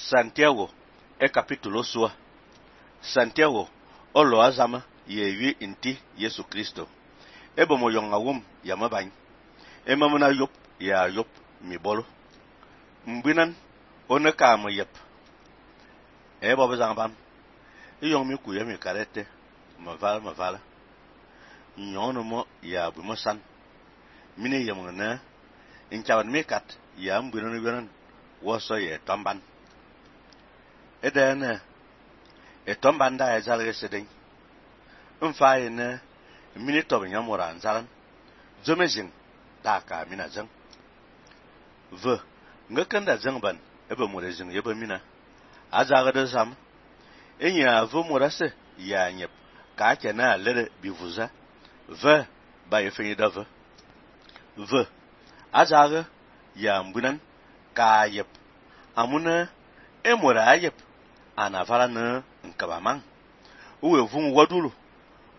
Santiago e capítulo sua. Santiago olo azama ye inti Yesu Kristo. Ebo mo yonga wum ya mabany. Mamuna yop ya yop mi bolo. Mbinan ona ka mo yep. Ebo bazang bam. Yong mi ku ya mi karete. Mavala. Nyono mo ya bu mo san. Mine yamuna inchawan mi kat ya mbinan woso ye tomban. Edene etomban da ya zalge sedeng. Mfa ene mini tobe nyamora nzalan. Zomezing da ka mina zang. Ngakanda zangban ebe morezing yebe mina. Azaga de zam. Enya morase ya nyep ka kena lere bivuza. Ba yefenyi da azaga ya mbunan ka yep. Amuna emora yep. Anavala na nkabamang. Uwe vung wadulu.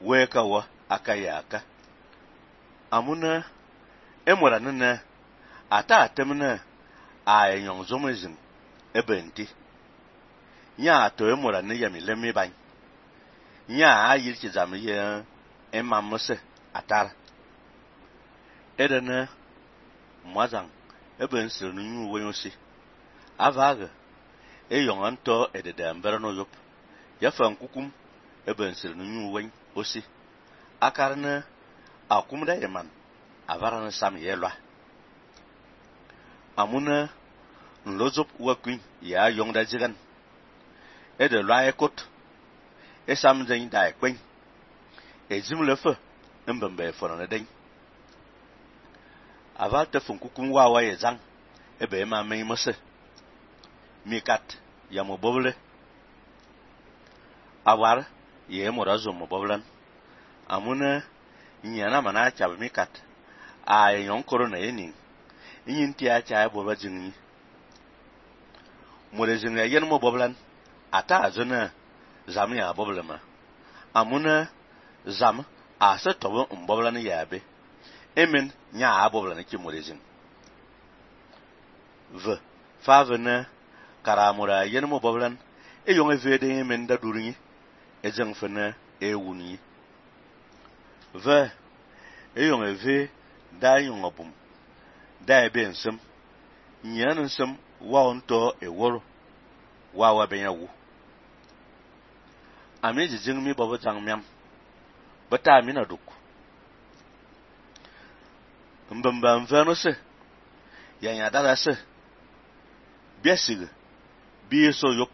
Weka wa akayaka. Amuna emora nana ata atemna ayong zomezing ebenti. Nya to emora ne yami lemi bany. Nya ayil chizam ye emamose atar. Edena mwazang eben sir nu wenyosi. Avaga eyong anto edede mbere no yop. Yafan kukum eben sir nu wen osi. Akarna akumda yeman avarana sam yelwa. Amuna nlozop wakwin ya yongda zigan. Ede lwa ekot. Esam zain da ekwen. Ezim lefe mbembe fonone den. Aval te fun kukum wawa ye zang. Ebe ema mei mose. Mikat ya mobobule. Awar ye morazo moboblan. Amuna nyana mana chab mikat. Ay yon korona yening. Nyinti acha boba jingni. Morezing ya yen moboblan. Ata azona zam ya boblema. Amuna zam asa tobo mboblan yabe. Emen nya aboblan ki morezing. Favena karamura yen moboblan. Yon evede emen da durinyi. Ezeng fena ewuni. Yon eve da yon obum. Da ebe nsem. Nyan nsem wa onto eworo. Wa benya wu. Ami jijing mi bobo zang miam. Bata amina duk. Mbamba mvano se. Yanya dada se. Biasig. Biye so yop.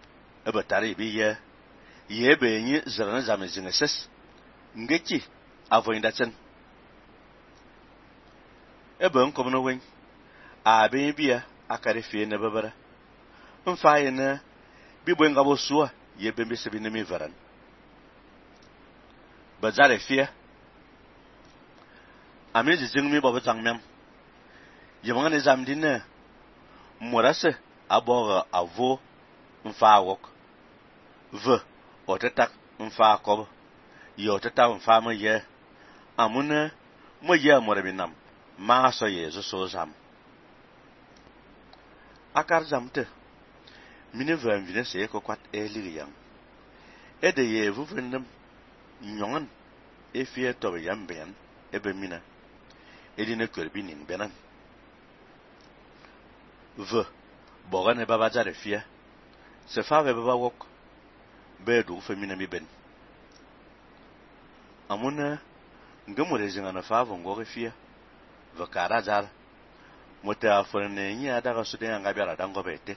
Ebe tari biye. Yebe enyi zirana zamezing ses. Ngeki avoinda chen. Ebe nkomno wen. Abe biya akare fie ne bebere. Mfa yene bibwe ngabo suwa yebe mbese binemi veran. Bazare fie. Ami jijing mi bobo zang mem. Yemangane zamdine. Morase aboga avo mfa wok. Otetak mfa kob. Yotetak mfa mo ye. Amune mo ye morebinam. Ma so ye so zam. Akar zamte. Mine vine se kokwat eligiyang. Ede ye vuvendem. Nyongan efie tobe yambeyan ebe mina. Edine kwerbinin benan. Bogane baba zare fie. Se fave baba wok. Bedu femina mi ben. Amuna ngemure zingana fave ngore fie. Vakara zar. Mote afone nya daga sude ngabera dango bete.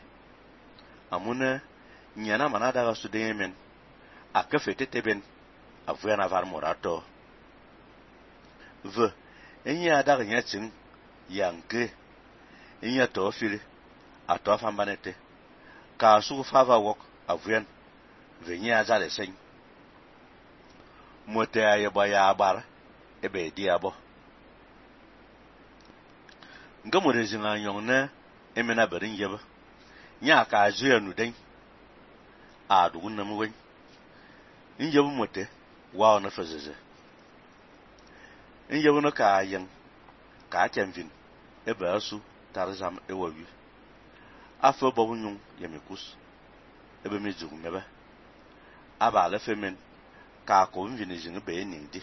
Amuna nyana mana daga sude men. Akafete teben. Avuyana var morato. Enya daga nyatsing yanke. Enya tofili. Atofa mbanete. Ka sugu fava wok avuyan. Venye azale seng. Mote ayeba ya abar. Ebe di abo. Ngamure zinga nyong ne. Emena berin yeba. Nya ka azuya nudeng. Adugun na mwen. Inyebu mote. Wao na fezeze. Inyebu no ka ayeng. Ka achenvin. Ebe asu tarzam ewawi. Afo bobu nyong yemikus. ebe mi zug mebe. Aba le femen ka ko mvini jing be ning di.